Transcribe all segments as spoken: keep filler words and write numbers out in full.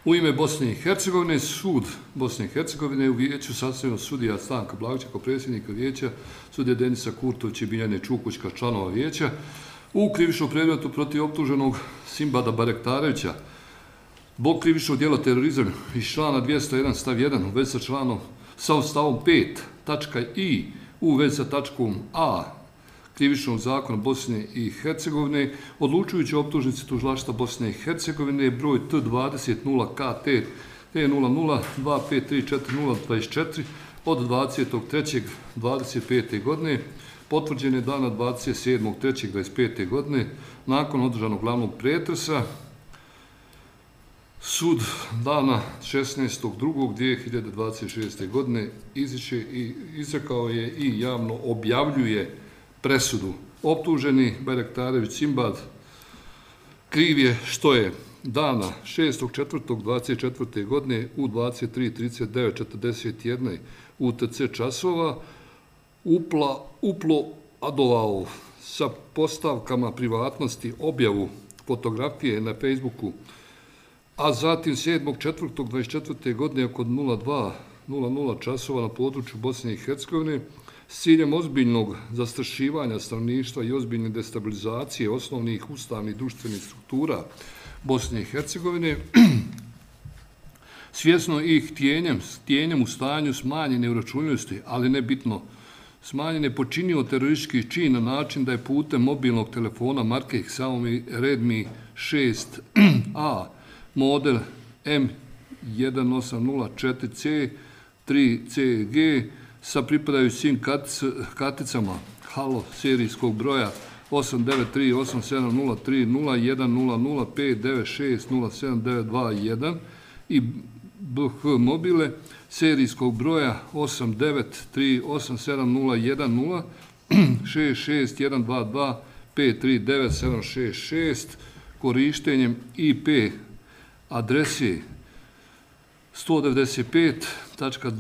U ime Bosne i Hercegovine, sud Bosne i Hercegovine u vijeću sastavljeno sudija Stanka Blagovića kao predsjednika vijeća, sudija Denisa Kurtović i Biljane Čukućka, članova vijeća, u krivičnom predmetu protiv optuženog Simbada Barektarevića, zbog krivičnog djela terorizam iz člana dvjesto jedan stav jedan u vezi sa članom sa stavom pet tačka i u vezi sa tačkom a krivičnog zakona Bosne i Hercegovine, odlučujući optužnici tužilaštva Bosne i Hercegovine broj T dvadeset nula K T T nula nula dva pet tri četiri nula dvadeset četiri od dvadesetog trećeg dvadeset pete godine, potvrđene dana dvadeset sedmog trećeg dvadeset pete godine, nakon održanog glavnog pretresa. Sud dana šesnaestog drugog dvije hiljade dvadeset šeste. godine izriče i izrekao je i javno objavljuje presudu. Optuženi Barektarević Simbad kriv je što je dana šestog četvrtog dvadeset četvrte. godine u dvadeset tri trideset devet četrdeset jedan U T C časova upla, uplo adovao sa postavkama privatnosti objavu fotografije na Facebooku, a zatim sedmog četvrtog dvadeset četvrte. godine oko nula dva nula nula časova na području Bosne i Hercegovine s ciljem ozbiljnog zastrašivanja stanovništva i ozbiljne destabilizacije osnovnih ustavnih društvenih struktura Bosne i Hercegovine, svjesno i htjenjem, htjenjem u stanju smanjene uračunljivosti, ali ne bitno smanjene, počinio teroristički čin na način da je putem mobilnog telefona marke Xiaomi Redmi šest A model M jedan osam nula četiri C tri C G sa pripadajućim karticama Halo serijskog broja osam devet tri osam sedam nula tri nula jedan nula nula pet devet šest nula sedam devet dva jedan i B H mobile serijskog broja osam devet tri osam sedam nula jedan nula šest šest jedan dva dva pet tri devet sedam šest šest korištenjem I P adrese sto devedeset pet tačka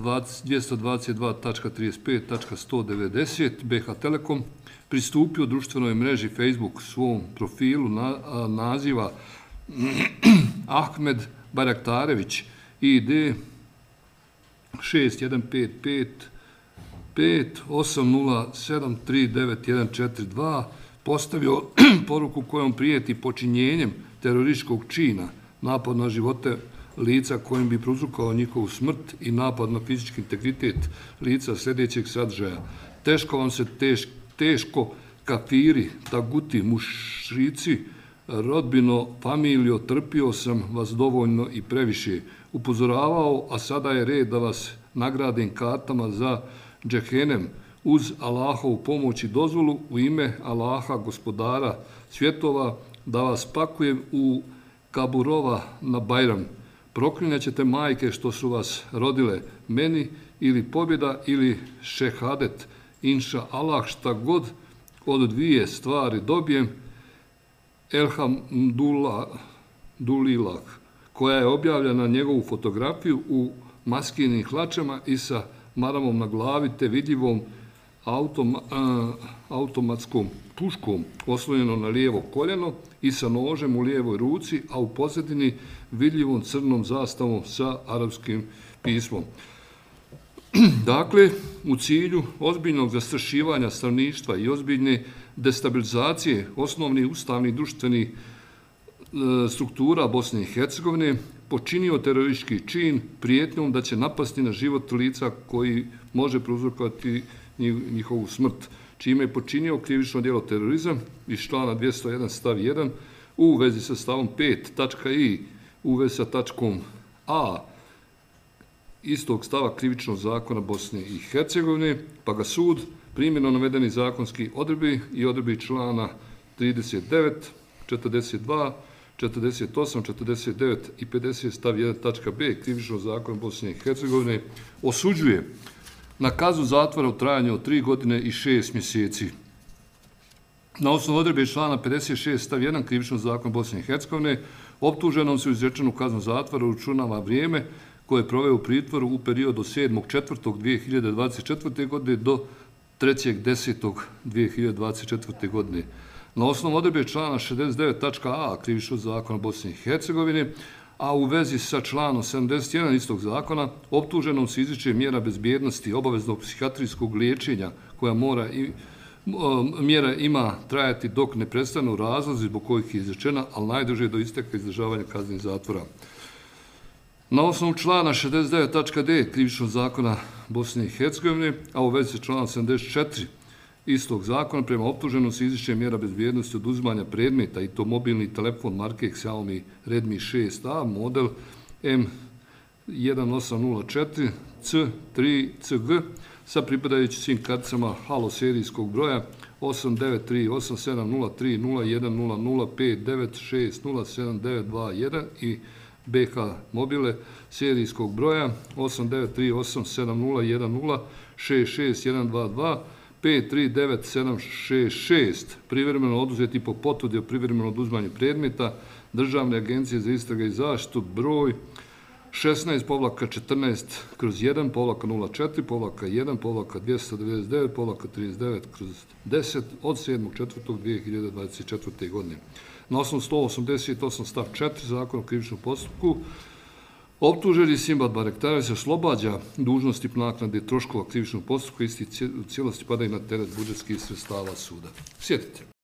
dvjesto dvadeset dva tačka trideset pet tačka sto devedeset B H Telekom pristupio društvenoj mreži Facebook svom profilu na, a, naziva Ahmed Barektarević I D šest jedan pet pet pet osam nula sedam tri devet jedan četiri dva postavio poruku kojom prijeti počinjenjem terorističkog čina, napad na živote lica kojim bi prouzrokovao njihovu smrt i napad na fizički integritet lica sljedećeg sadržaja. Teško vam se teš, teško kafiri, taguti, mušrici, rodbino, familijo, trpio sam vas dovoljno i previše. Upozoravao, a sada je red da vas nagradim kartama za džehenem uz Allahovu pomoć i dozvolu u ime Allaha, gospodara svjetova, da vas pakujem u Kaburova na Bajram. Proklinjat ćete majke što su vas rodile, meni ili pobjeda ili šehadet, inša Allah, šta god od dvije stvari dobijem, Elhamdulilah, koja je objavljena na njegovu fotografiju u maskinim hlačama i sa maramom na glavi te vidljivom automa, a, automatskom puškom oslonjeno na lijevo koljeno i sa nožem u lijevoj ruci, a u pozadini vidljivom crnom zastavom sa arapskim pismom. Dakle, u cilju ozbiljnog zastrašivanja stanovništva i ozbiljne destabilizacije osnovnih ustavnih društvenih struktura Bosne i Hercegovine počinio teroristički čin prijetnjom da će napasti na život lica koji može prouzrokovati njihovu smrt, čime je počinio krivično djelo terorizam iz člana dvjesto jedan stav jedan u vezi sa stavom pet tačka i u vezi sa tačkom a istog stava krivičnog zakona Bosne i Hercegovine, pa ga sud primjeno navedeni zakonski odredbi i odredbi člana trideset devet, četrdeset dva, četrdeset osam, četrdeset devet i pedeset stav jedan tačka b krivičnog zakona Bosne i Hercegovine osuđuje na kaznu zatvora u trajanju od tri godine i šest mjeseci. Na osnovu odredbe člana pedeset šest stav jedan krivičnog zakona Bosne i Hercegovine optuženom se u izrečenu kaznu zatvora uračunava vrijeme koje je proveo u pritvoru u periodu od sedmog četvrtog dvije hiljade dvadeset četvrte. godine do trećeg desetog dvije hiljade dvadeset četvrte. godine. Na osnovu odredbe člana šezdeset devet tačka a krivičnog zakona Bosne i Hercegovine, a u vezi sa članom sedamdeset jedan istog zakona optuženom se izriče mjera bezbjednosti obaveznog psihijatrijskog liječenja koja mora i mjera ima trajati dok ne prestanu razlozi zbog kojih je izrečena, ali najduže do isteka izdržavanja kazne zatvora. Na osnovu člana šezdeset devet tačka d Krivičnog zakona Bosne i Hercegovine, a u vezi sa članom sedamdeset četiri istog zakona prema optuženom se izriče mjera bezbjednosti oduzimanja predmeta i to mobilni telefon marke Xiaomi Redmi šest a model M jedan osam nula četiri C tri C G sa pripadajućim svim karticama halo serijskog broja osam devet tri osam sedam nula tri nula jedan nula nula pet devet šest nula sedam devet dva jedan i B H mobile serijskog broja osam devet tri osam sedam nula jedan nula šest šest jedan dva dva pet tri devet sedam šest šest privremeno oduzeti po potvrdi o privremenom oduzmanju predmeta Državne agencije za istrage i zaštitu broj šesnaest četrnaest kroz jedan nula četiri jedan dvjesto devedeset devet trideset devet kroz deset od sedmog četvrtog dvije hiljade dvadeset četvrte. godine. Na osnovu sto osamdeset osam stav četiri Zakona o krivičnom postupku optuženi Simbad Barektarević se oslobađa dužnosti naknade troškova krivičnog postupka, isti u cijelosti padaju na teret budžetskih sredstava suda. Sjetite.